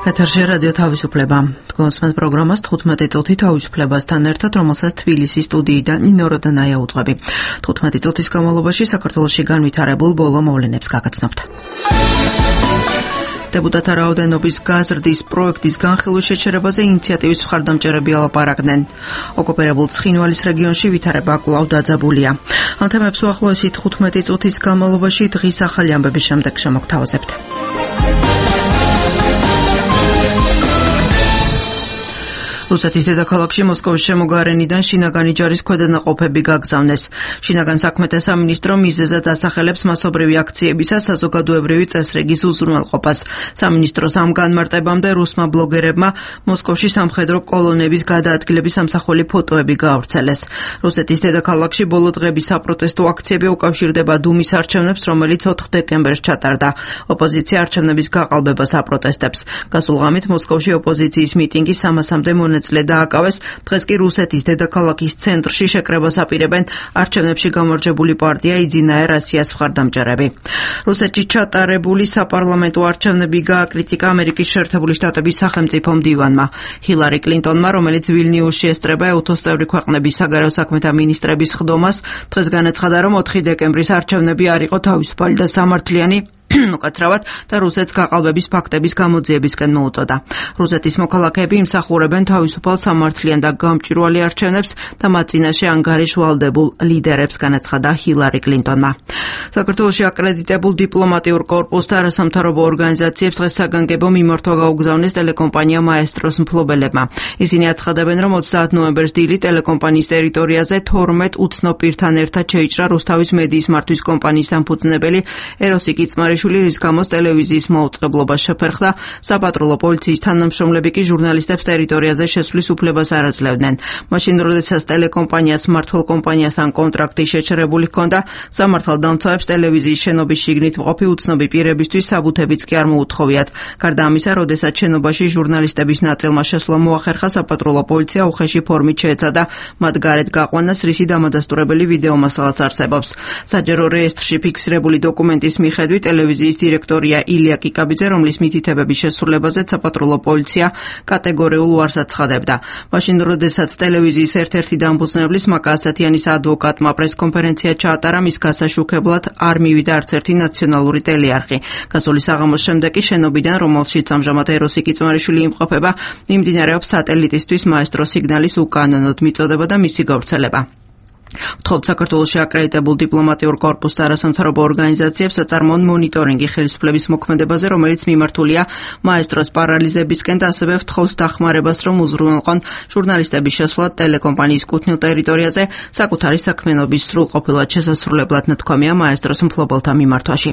ეთერში რადიო თავისუფლება. თქვენს პროგრამას 15 წუთი თავისუფლებასთან ერთად, რომელსაც თბილისის სტუდიიდან ნინო როდანაია უძღვები. 15 წუთის განმავლობაში საქართველოში განვითარებულ ბოლო მოვლენებს გაგაცნობთ. Deputata რაოდენობის გაზრდის პროექტის განხილვის შეჩერებაზე ინიციატივის მხარდამჭერები ალაპარაკდნენ. ოკუპირებულ ცხინვალის რეგიონში ვითარება კვლავ დაძაბულია. ამ თემებს უახლოესი 15 წუთის განმავლობაში დღის ახალი ამბების შემდეგ შემოგთავაზებთ. რუსეთის დედაქალაქში მოსკოვის შემოგარენიდან შინაგანი ჯარის ქვედანაყოფები გაგზავნეს. შინაგან საქმეთა სამინისტრო მიზეზად ასახელებს მასობრივი აქციებისა საზოგადოებრივი წესრიგის უზრუნველყოფას. სამინისტროს ამ განმარტებამდე რუსმა ბლოგერებმა მოსკოვში სამხედრო კოლონების გადაადგილების ამსახველი ფოტოები გაავრცელეს. რუსეთის დედაქალაქში ბოლო დღების საპროტესტო აქციები უკავშირდება დუმის არჩევნებს, რომელიც 4 დეკემბერს ჩატარდა. ოპოზიცია არჩევნების გაყალბებას აპროტესტებს. გასულ ღამით მოსკოვში ოპოზიციის მიტინგი 300-მდე დააკავეს. დღეს კი რუსეთის დედაქალაქის ცენტრში შეკრებას აპირებენ არჩევნებში გამარჯვებული პარტია იძინაე რასიას მხარდამჭერები. რუსეთში ჩატარებული საპარლამენტო არჩევნები გააკრიტიკა ამერიკის შეერთებული შტატების სახელმწიფო მდივანმა. ჰილარი კლინტონმა, რომელიც ვილნიუსში ესწრება ეუთოს წევრი ქვეყნების საგარეო საქმეთა მინისტრების ხდომას, დღეს განაცხადა, რომ 4 დეკემბრის არჩევნები არ იყო თავისუფალი და სამართლიანი, უკაცრავად და რუსეთს გაყალბების ფაქტების გამოძიებისკენ მოუწოდა. რუსეთის მოქალაქეები იმსახურებენ თავისუფალ სამართლიან და გამჭვირვალე არჩევნებს და მათ წინაშე ანგარიშვალდებულ ლიდერებს, განაცხადა ჰილარი კლინტონმა. საქართველოში აკრედიტებულ დიპლომატიურ კორპუსს და არასამთავრობო ორგანიზაციებს დღეს საგანგებო მიმართვა გაუგზავნეს ტელეკომპანია მაესტროს მფლობელებმა. ისინი აცხადებენ, რომ 30 ნოემბერს დილით ტელეკომპანიის ტერიტორიაზე 12 უცნო პირთან ერთად შეიჭრა რუსთავის მედიის მართვის კომპანიის დამფუძნებელი ეროსი კიცმარიშვილი, რის გამოც ტელევიზიის მოუწყებლობა შეფერხდა. საპატრულო პოლიციის თანამშრომლები კი ჟურნალისტებს ტერიტორიაზე შესვლის უფლებას არ აძლევდნენ. მაშინ, როდესაც ტელეკომპანიას მმართველ კომპანიასთან კონტრაქტი შეჩერებული ჰქონდა, სამართალდამცავებს ტელევიზიის შენობის შიგნით მყოფი უცნობი პირებისთვის საბუთებიც კი არ მოუთხოვიათ. გარდა ამისა, როდესაც შენობაში ჟურნალისტების ნაწილმა შესვლა მოახერხა, საპატრულო პოლიცია უხეში ფორმით შეეცადა მათ გარეთ გაყვანას, რისი დამადასტურებელი ვიდეომასალაც არსებობს. საჯარო რეესტრში ფიქსირებული დოკუმენტის მიხედვით ტელევიზიის დირექტორია ილია კიკაბიძე, რომლის მითითებების შესრულებაზე საპატრულო პოლიცია კატეგორიულ უარს აცხადებდა. მაშინ, როდესაც ტელევიზიის ერთ-ერთი დამფუძნებლის მაკა ასათიანის ადვოკატმა პრესკონფერენცია ჩაატარა, მის გასაშუქებლად არ მივიდა არც ერთი ნაციონალური ტელეარხი. გასული საღამოს შემდეგ კი შენობიდან, რომელშიც ამჟამად ეროსი კიცმარიშვილი იმყოფება, მიმდინარეობს სატელიტისთვის მაესტრო სიგნალის უკანონოდ მიწოდება და მისი გავრცელება. ვთხოვთ საქართველოში აკრედიტებულ დიპლომატიურ კორპუსს და არასამთავრობო ორგანიზაციებს აწარმოონ მონიტორინგი ხელისუფლების მოქმედებაზე, რომელიც მიმართულია მაესტროს პარალიზებისკენ და ასევე ვთხოვთ დახმარებას, რომ უზრუნველყონ ჟურნალისტების შესვლა ტელეკომპანიის კუთვნილ ტერიტორიაზე საკუთარი საქმიანობის სრულყოფილად შესასრულებლად ნათქვამია მაესტროს მფლობელთა მიმართვაში.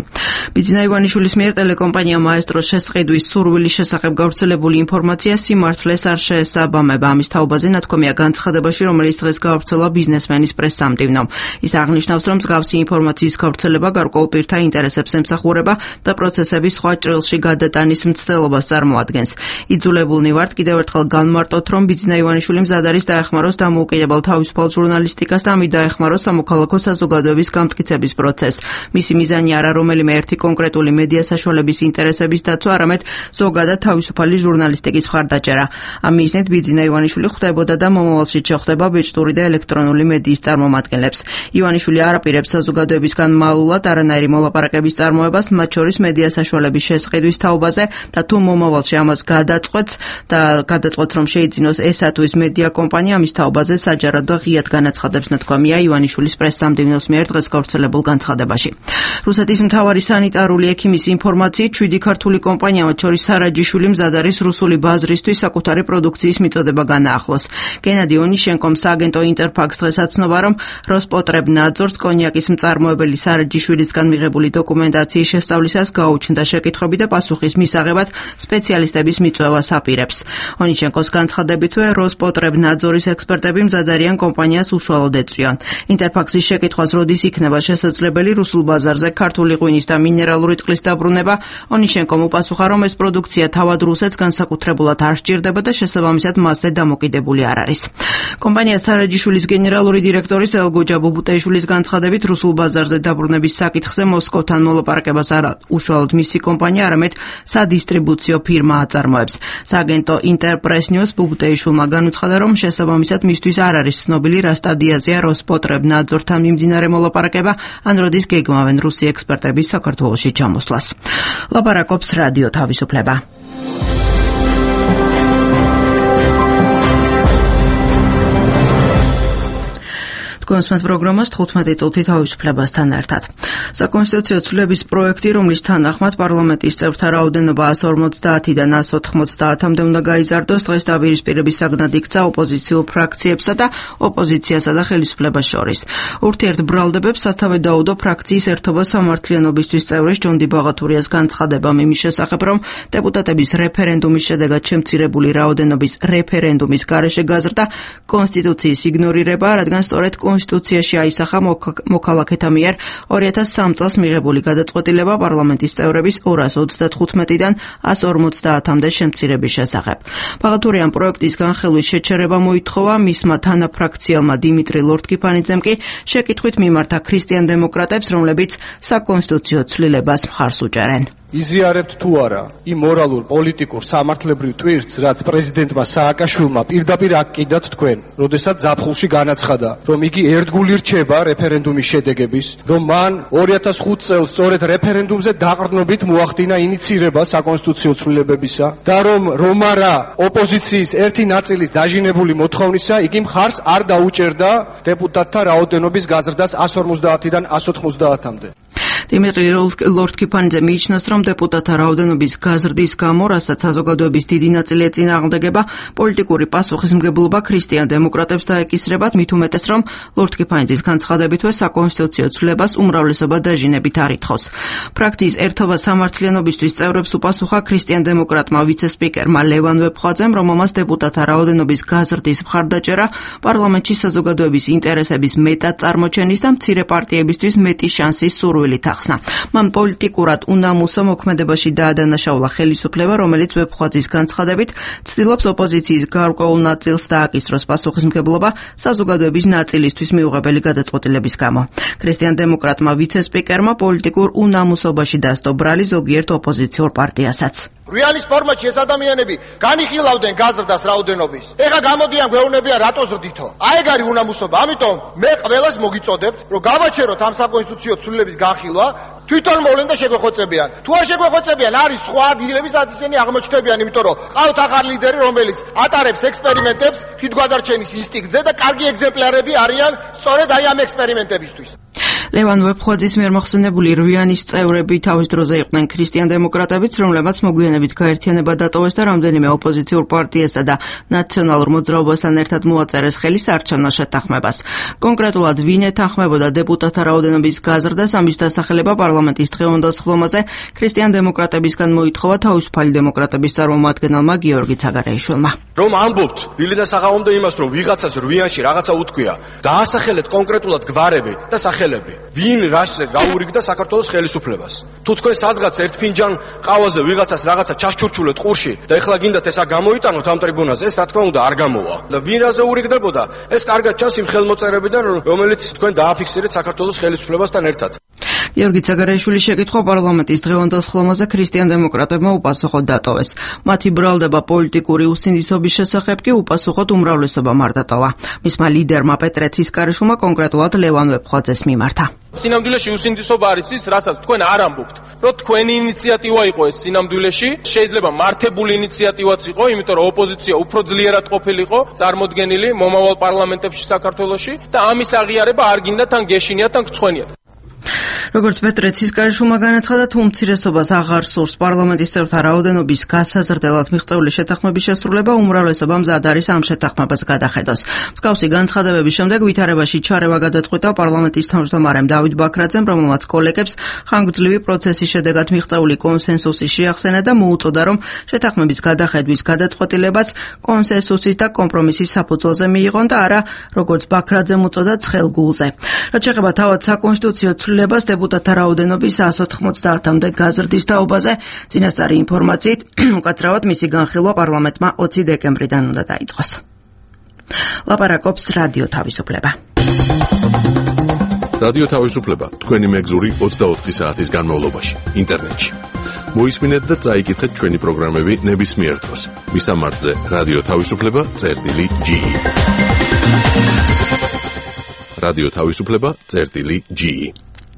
ბიძინა ივანიშვილის მიერ ტელეკომპანია მაესტროს შესყიდვის სურვილის შესახებ გავრცელებული ინფორმაცია სიმართლეს არ შეესაბამება. ამის თაობაზე ნათქვამია განცხადებაში, რომელიც დღეს გავრცელა ბიზნესმენის სამდივნომ. ის აღნიშნავს, რომ მსგავსი ინფორმაციის გავრცელება გარკვეულ პირთა ინტერესებს ემსახურება და პროცესების სხვა ჭრილში გადატანის მცდელობას წარმოადგენს. იძულებულნი ვართ კიდევ ერთხელ განმარტოთ, რომ ბიძინა ივანიშვილი მზად არის დაეხმაროს დამოუკიდებელ თავისუფალ ჟურნალისტიკას და ამით დაეხმაროს სამოქალაქო საზოგადოების გამტკიცების პროცესს. მისი მიზანი არა რომელიმე ერთი კონკრეტული მედია საშუალების ინტერესების დაცვა, არამედ ზოგადად თავისუფალი ჟურნალისტიკის მხარდაჭერა. ამ მიზნით ბიძინა ივანიშვილი ხვდებოდა და მომავალში შეხვდება ბეჭდური და ელექტრონული მედიის წარმომადგენლებს. ივანიშვილი არ აპირებს საზოგადოებისგან მალულად არანაირი მოლაპარაკების წარმოებას, მათ შორის მედია საშუალების შესყიდვის თაობაზე და თუ მომავალში ამას გადაწყვეტს, რომ შეიძინოს ესა თუ ის მედია კომპანია, ამის თაობაზე საჯაროდ და ღიად განაცხადებს, ნათქვამია ივანიშვილის პრესსამდივნოს მიერ დღეს გავრცელებულ განცხადებაში. რუსეთის მთავარი სანიტარული ექიმის ინფორმაციით 7 ქართული კომპანია, მათ შორის სარაჯიშვილი, მზად არის რუსული ბაზრისთვის საკუთარი პროდუქციის მიწოდება განაახლოს. გენადი ონიშენკომ სააგენტო ინტერფაქს დღეს აცნობა, რომ როსპოტრებნაძორს კონიაკის მწარმოებელი სარაჯიშვილისგან მიღებული დოკუმენტაციის შესწავლისას გაუჩნდა შეკითხვები და პასუხის მისაღებად სპეციალისტების მიწვევას აპირებს. ონიშენკოს განცხადებითვე როსპოტრებნაძორის ექსპერტები მზად არიან კომპანიას უშუალოდ ეწვიან. ინტერფაქსის შეკითხვას როდის იქნება შესაძლებელი რუსულ ბაზარზე ქართული ღვინის და მინერალური წყლის დაბრუნება, ონიშენკომ უპასუხა, რომ ეს პროდუქცია თავად რუსეთს განსაკუთრებულად არ სჭირდება და შესაბამისად მასზე დამოკიდებული არ არის. კომპანია სარაჯიშვილის გენერალური დირექტორი დირექტორის ელგოჯა ბუბუტეიშვილის განცხადებით, რუსულ ბაზარზე დაბრუნების საკითხზე მოსკოვთან მოლაპარაკებას არა უშუალოდ მისი კომპანია, არამედ სადისტრიბუციო ფირმა აწარმოებს. სააგენტო ინტერპრეს ნიუს ბუბუტეიშვილმა განუცხადა, რომ შესაბამისად მისთვის არ არის ცნობილი, რა სტადიაზეა როსპოტრებნაძორთან მიმდინარე მოლაპარაკება, ან როდის გეგმავენ რუსი ექსპერტების საქართველოში ჩამოსვლას. ლაპარაკობს რადიო თავისუფლება. კონსმეთ პროგრამას 15 წუთი თავისუფლებასთან ერთად. საკონსტიტუციო ცვლილების პროექტი, რომლის თანახმად პარლამენტის წევრთა რაოდენობა 150-დან 190-მდე უნდა გაიზარდოს, დღეს დაპირისპირების საგნად იქცა ოპოზიციურ ფრაქციებსა და ოპოზიციასა და ხელისუფლებას შორის. ურთიერთბრალდებებს სათავე დაუდო ფრაქციის ერთობა სამართლიანობისთვის წევრის ჯონდი ბაღათურიას განცხადებამ იმის შესახებ, რომ დეპუტატების რეფერენდუმის შედეგად შემცირებული რაოდენობის რეფერენდუმის გარეშე გაზრდა კონსტიტუციის იგნორირება, რადგან სწორედ კონსტიტუციაში აისახა მოქალაქეთა მიერ 2003 წელს მიღებული გადაწყვეტილება პარლამენტის წევრების 235-დან 150-მდე შემცირების შესახებ. ბაღათურიამ პროექტის განხილვის შეჩერება მოითხოვა, მისმა თანაფრაქციელმა დიმიტრი ლორთქიფანიძემ კი შეკითხვით მიმართა ქრისტიან დემოკრატებს, რომლებიც საკონსტიტუციო ცვლილებას მხარს უჭერენ. იზიარებთ თუ არა იმ მორალურ, პოლიტიკურ, სამართლებრივ ტვირთს, რაც პრეზიდენტმა სააკაშვილმა პირდაპირ აკიდათ თქვენ, როდესაც ზაფხულში განაცხადა, რომ იგი ერთგული რჩება რეფერენდუმის შედეგების, რომ მან 2005 წელს სწორედ რეფერენდუმზე დაყრდნობით მოახდინა ინიცირება საკონსტიტუციო ცვლილებებისა და რომ არა ოპოზიციის ერთი ნაწილის დაჟინებული მოთხოვნისა, იგი მხარს არ დაუჭერდა დეპუტატთა რაოდენობის გაზრდას 150-დან 190-მდე. დიმიტრი ლორთქიფანიძე მიიჩნევს, რომ დეპუტატთა რაოდენობის გაზრდის გამო, რასაც საზოგადოების დიდი ნაწილი ეწინააღმდეგება, პოლიტიკური პასუხისმგებლობა ქრისტიან დემოკრატებს დაეკისრებათ, მით უმეტეს, რომ ლორთქიფანიძის განცხადებითვე საკონსტიტუციო ცვლილებას უმრავლესობა დაჟინებით არ ითხოვს. ფრაქციის ერთობა სამართლიანობისთვის წევრებს უპასუხა ქრისტიან დემოკრატმა ვიცე-სპიკერმა ლევან ვეფხვაძემ, რომ ამას დეპუტატთა რაოდენობის გაზრდის მხარდაჭერა პარლამენტში საზოგადოების ინტერესების მეტად წარმოჩენის და მცირე პარტიებისთვის მეტი შანსის სურვილით ახსნა. მან პოლიტიკურად უნამუსო მოქმედებაში დაადანაშაულა ხელისუფლება, რომელიც ვეფხვაძის განცხადებით ცდილობს ოპოზიციის გარკვეულ ნაწილს დააკისროს პასუხისმგებლობა საზოგადოების ნაწილისთვის მიუღებელი გადაწყვეტილების გამო. ქრისტიან დემოკრატმა ვიცე-სპიკერმა პოლიტიკურ უნამუსობაში დასდო ბრალი ზოგიერთ ოპოზიციურ პარტიასაც. რეალის ფორმატში ეს ადამიანები განიხილავდნენ გაზრდას რაოდენობის. ეხლა გამოდიან გვეუბნებიან რატო ზრდითო. აი ეგ არის უნამუსობა. ამიტომ მე ყველას მოგიწოდებთ, რომ გავაჩეროთ ამ საკონსტიტუციო ცვლილების განხილვა, თვითონ მოვლენ და შეგვეხოცებიან. თუ არ შეგვეხოცებიან, არის სხვა ადგილები, სადაც ისინი აღმოჩნდებიან, იმიტომ რომ ყავთ ახალი ლიდერი, რომელიც ატარებს ექსპერიმენტებს თვითგვადარჩენის ინსტინქტზე და კარგი ეგზემპლარები არიან სწორედ აი ამ ექსპერიმენტებისთვის. ლევან ვეფხვაძის მიერ მოხსენებული რვიანის წევრები თავის დროზე იყვნენ ქრისტიან დემოკრატებიც, რომლებმაც მოგვიანებით გაერთიანება დატოვეს და რამდენიმე ოპოზიციურ პარტიასა და ნაციონალურ მოძრაობასთან ერთად მოაწერეს ხელი საარჩევნო შეთანხმებას. კონკრეტულად ვინ ეთანხმებოდა დეპუტატთა რაოდენობის გაზრდას, ამის დასახელება პარლამენტის დღევანდელ სხდომაზე ქრისტიან დემოკრატებისგან მოითხოვა თავისუფალი დემოკრატების წარმომადგენელმა გიორგი ცაგარეიშვილმა. რომ ამბობთ დილიდან საღამომდე იმას, რომ ვიღაცას რვიანში რაღაცა უთქვია, დაასახელეთ კონკრეტულად გვარები და სახელები. ვინ რაშზე გაურიგდა საქართველოს ხელისუფლებას? თუ თქვენ სადღაც ერთ ფინჯან ყავაზე ვიღაცას რაღაცა ჩაშჩურჩულეთ ყურში და ეხლა გინდათ ესა გამოიტანოთ ამ ტრიბუნაზე, ეს რა თქმა უნდა არ გამოვა. და ვინ რაზე ურიგდებოდა? ეს კარგად ჩანს იმ ხელმოწერებიდან, რომელიც თქვენ დააფიქსირეთ საქართველოს ხელისუფლებასთან ერთად. გიორგი ცაგარეიშვილის შეკითხვა პარლამენტის დღევანდელ სხდომაზე ქრისტიან დემოკრატებმა უპასუხოდ დატოვეს. მათი ბრალდება პოლიტიკური უსინდისობის შესახებ კი უპასუხოდ უმრავლესობამ არ დატოვა. მისმა ლიდერმა პეტრე ცისკარიშვილმა კონკრეტულად ლევან ვეფხვაძეს მიმართა. სინამდვილეში უსინდისობა არის ის, რასაც თქვენ არ ამბობთ, რომ თქვენი ინიციატივა იყო ეს სინამდვილეში, შეიძლება მართებული ინიციატივაც იყო, იმიტომ რომ ოპოზიცია უფრო ძლიერად ყოფილიყო წარმოდგენილი მომავალ პარლამენტებში საქართველოში და ამის აღიარება არ გინდა თან გეშინიათ, თან გწვენიათ. როგორც პეტრე ცისკარიშვილმა განაცხადა, თუ უმცირესობას აღარ სურს პარლამენტის წევრთა რაოდენობის გასაზრდელად მიღწეული შეთანხმების შესრულება, უმრავლესობა მზად არის ამ შეთანხმებას გადახედოს. მსგავსი განცხადებების შემდეგ ვითარებაში ჩარევა გადაწყვიტა პარლამენტის თავმჯდომარემ დავით ბაქრაძემ, რომელმაც კოლეგებს ხანგრძლივი პროცესის შედეგად მიღწეული კონსენსუსი შეახსენა და მოუწოდა, რომ შეთანხმების გადახედვის გადაწყვეტილებაც კონსენსუსის და კომპრომისის საფუძველზე მიიღონ და არა, როგორც ბაქრაძემ უწოდა, ცხელ გულზე. რაც შეეხება თავად საკონსტიტუციო ცვლილებას დეპუტატთა რაოდენობის 190-მდე გაზრდის თაობაზე, წინასწარი ინფორმაციით, უკაცრავად მისი განხილვა პარლამენტმა 20 დეკემბრიდან უნდა დაიწყოს. ლაპარაკობს რადიო თავისუფლება. რადიო თავისუფლება თქვენი მეგზური 24 საათის განმავლობაში ინტერნეტში. მოისმინეთ და წაიკითხეთ ჩვენი პროგრამები ნებისმიერ დროს. მისამართზე რადიო თავისუფლება.ge. რადიო თავისუფლება.ge.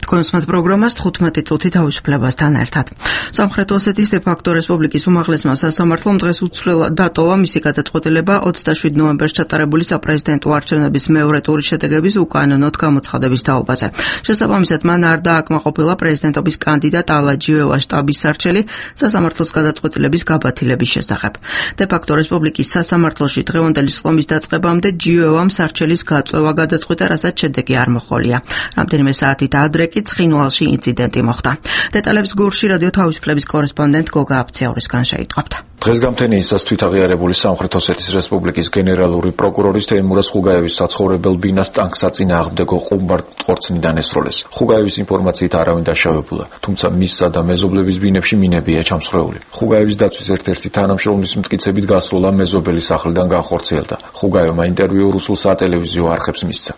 თქვენ სმათ პროგრამას 15 წუთი თავისუფლებასთან ერთად. სამხრეთ ოსეთის დე-ფაქტო რესპუბლიკის უმაღლესმა სასამართლომ დღეს უცვლელად დატოვა მისი გადაწყვეტილება 27 ნოემბერს ჩატარებული საპრეზიდენტო არჩევნების მეორე ტურის შედეგების უკანონოდ გამოცხადების თაობაზე. შესაბამისად, მან არ დააკმაყოფილა პრეზიდენტობის კანდიდატ ალა ჯიუევას შტაბის სარჩელი სასამართლოს გადაწყვეტილების გაბათილების შესახებ. დე-ფაქტო რესპუბლიკის სასამართლოში დღევანდელი სხდომის დაწყებამდე ჯიუევამ სარჩელის გაწვევა გადაწყვიტა, რასაც შედეგი არ მოჰყოლია. რამდენიმე საათით ადრე ცხინვალში ინციდენტი მოხდა. დეტალებს გურში რადიო თავისუფლების კორესპონდენტ გოგა აფცეურისგან შეიტყობთ. დღეს გამთენიისას თვითაღიარებული სამხრეთ ოსეთის რესპუბლიკის გენერალური პროკურორის თეიმურაზ ხუგაევის საცხოვრებელ ბინას ტანკსაწინააღმდეგო ყუმბარ ყორცნიდან ესროლეს. ხუგაევის ინფორმაციით არავინ დაშავებულა, თუმცა მისსა და მეზობლების ბინებში მინებია ჩამსხვრეული. ხუგაევის დაცვის ერთ-ერთი თანამშრომლის მტკიცებით გასროლა მეზობელის სახლიდან განხორციელდა. ხუგაევმა ინტერვიუ რუსულ სატელევიზიო არხებს მისცა.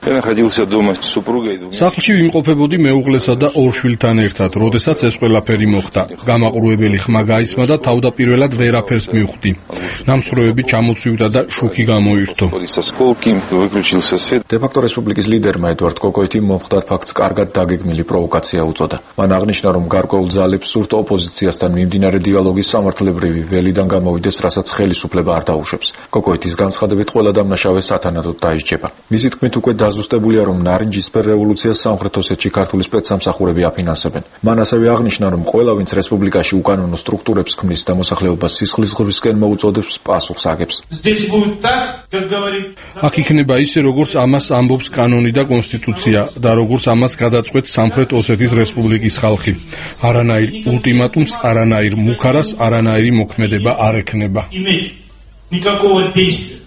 სახლში ვიმყოფებოდი მეუღლესა და ორ შვილთან ერთად, როდესაც ეს ყველაფერი მოხდა. გამაყურებელი ხმა გაისმა და თავდაპირველად ვერაფერს მივხვდი. ნამსხვრევები ჩამოცივდა და შუქი გამოირთო. დე-ფაქტო რესპუბლიკის ლიდერმა ედვარდ კოკოიტიმ მომხდარ ფაქტს კარგად დაგეგმილი პროვოკაცია უწოდა. მან აღნიშნა, რომ გარკვეულ ძალებს სურთ ოპოზიციასთან მიმდინარე დიალოგის სამართლებრივი ველიდან გამოვიდეს, რასაც ხელისუფლება არ დაუშვებს. კოკოიტის განცხადებით ყველა დამნაშავე სათანადოდ დაისჯება. მისი თქმით, უკვე დაზუსტებულია, რომ ნარინჯისფერ რევოლუციას სამხრეთ ოსეთში ქართული სპეცსამსახურები აფინანსებენ. მან ასევე აღნიშნა, რომ ყველა, ვინც რესპუბლიკაში უკანონო სტრუქტურებს ქმნის და მოსახლეობას სისხლის ღრისკენ მოუწოდებს, პასუხს აგებს. აქ იქნება ისე, როგორც ამას ამბობს კანონი და კონსტიტუცია და როგორც ამას გადაწყვეტს სამხრეთ ოსეთის რესპუბლიკის ხალხი. არანაირ ულტიმატუმს, არანაირ მუქარას, არანაირი მოქმედება არ ექნება.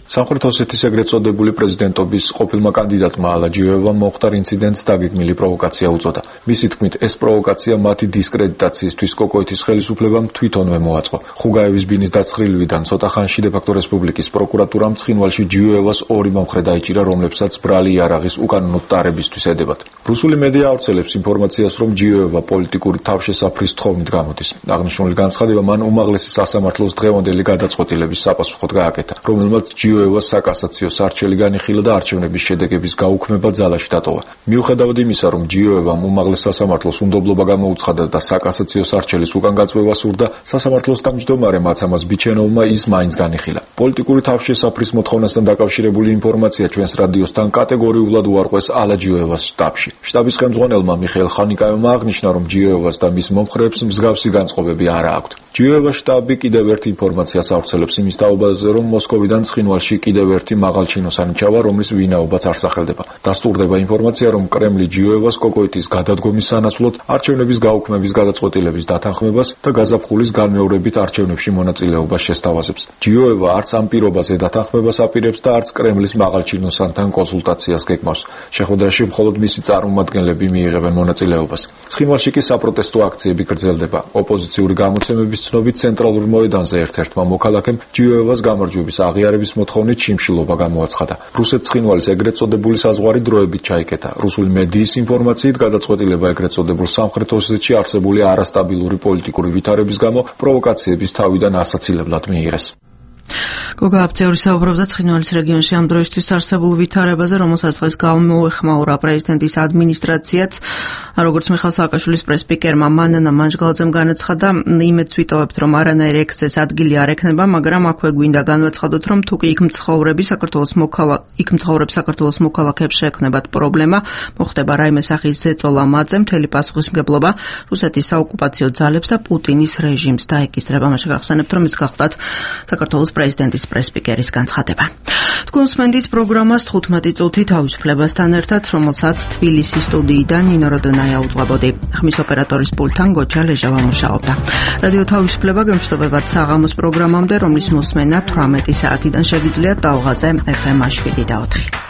სამხრეთ ოსეთის ეგრეთ წოდებული პრეზიდენტობის ყოფილმა კანდიდატმა ალა ჯიუევამ მომხდარ ინციდენტს დაგეგმილი პროვოკაცია უწოდა. მისი თქმით, ეს პროვოკაცია მათი დისკრედიტაციისთვის კოკოიტის ხელისუფლებამ თვითონვე მოაწყო. ხუგაევის ბინის დაცხრილვიდან ცოტა ხანში დე-ფაქტო რესპუბლიკის პროკურატურამ ცხინვალში ჯიუევას ორი მომხრე დაიჭირა, რომლებსაც ბრალი იარაღის უკანონოდ ტარებისთვის ედებათ. რუსული მედია ავრცელებს ინფორმაციას, რომ ჯიუევა პოლიტიკური თავშესაფრის თხოვნით გამოდის. აღნიშნული განცხადება მან უმაღლესი სასამართლოს დღევანდელი გადაწყვეტილების საპასუხოდ გააკეთა, რომელმაც ჯიუევას საკასაციო სარჩელი განიხილა და არჩევნების შედეგების გაუქმება ძალაში დატოვა. მიუხედავად იმისა, რომ ჯიუევამ უმაღლეს სასამართლოს უნდობლობა გამოუცხადა და საკასაციო სარჩელის უკან გაწვევა სურდა, სასამართლოს თავმჯდომარე მაცამას ბიჩენოვმა ის მაინც განიხილა. პოლიტიკური თავშესაფრის მოთხოვნასთან დაკავშირებული ინფორმაცია ჩვენს რადიოსთან კატეგორიულად უარყვეს ალა ჯიუევას შტაბში. შტაბის ხელმძღვანელმა მიხეილ ხანიკაევმა აღნიშნა, რომ ჯიუევას და მის მომხრეებს მსგავსი განწყობები არ აქვთ. ჯიუევას შტაბი კიდევ ერთ ინფორმაციას ავრცელებს იმის თაობაზე, რომ მოსკოვიდან ცხინვალში კიდევ ერთი მაღალჩინოსანი ჩავა, რომლის ვინაობაც არ სახელდება. დასტურდება ინფორმაცია, რომ კრემლი ჯიუევას კოკოიტის გადადგომის სანაცვლოდ არჩევნების გაუქმების გადაწყვეტილების დათანხმებას და გაზაფხულის განმეორებით არჩევნებში მონაწილეობას შესთავაზებს. ჯიუევა არც ამ პირობაზე დათანხმებას აპირებს და არც კრემლის მაღალჩინოსანთან კონსულტაციას გეგმავს. შეხვედრაში მხოლოდ მისი წარმომადგენლები მიიღებენ მონაწილეობას. ცხინვალში კი საპროტესტო აქციები გრძელდება. ოპოზიციური გამოცემების ცნობით ცენტრალურ მოედანზე ერთ-ერთმა მოქალაქემ ჯიუევას გამარჯვების აღიარების მოთხოვნით შიმშილობა გამოაცხადა. რუსეთ-ცხინვალის ეგრეთ წოდებული საზღვარი დროებით ჩაიკეტა. რუსული მედიის ინფორმაციით გადაწყვეტილება ეგრეთ წოდებულ სამხრეთ ოსეთში არსებული არასტაბილური პოლიტიკური ვითარების გამო პროვოკაციების თავიდან ასაცილებლად მიიღეს. გოგა აფცეური საუბრობდა ცხინვალის რეგიონში ამ დროისთვის არსებულ ვითარებაზე, რომელსაც დღეს გამოეხმაურა პრეზიდენტის ადმინისტრაციაც. როგორც მიხეილ სააკაშვილის პრესპიკერმა მანანა მანჟგალაძემ განაცხადა, იმედს ვიტოვებთ, რომ არანაირი ექსცეს ადგილი არ ექნება, მაგრამ აქვე გვინდა განვაცხადოთ, რომ თუ კი იქ მცხოვრებს საქართველოს მოქალაქეებს შეექმნებათ პრობლემა, მოხდება რაიმე სახის ზეწოლა მათზე, მთელი პასუხისმგებლობა რუსეთის საოკუპაციო ძალებს და პუტინის რეჟიმს დაეკისრება. მაშინ გახსენებთ, რომ ის გახლდათ საქართველოს პრეზიდენტის პრესპიკერის განცხადება. თქვენ უსმენთ პროგრამას 15 წუთი თავისუფლებასთან ერთად, რომელსაც თბილისის სტუდიიდან ნინო როდონაია უძღვებოდი. ხმის ოპერატორის პულტთან გოჩა ლეჟავა მუშაობდა. რადიო თავისუფლება გემშვიდობებად საღამოს პროგრამამდე, რომლის მოსმენა 18 საათიდან შეგიძლიათ ტალღაზე FM 7 და 4.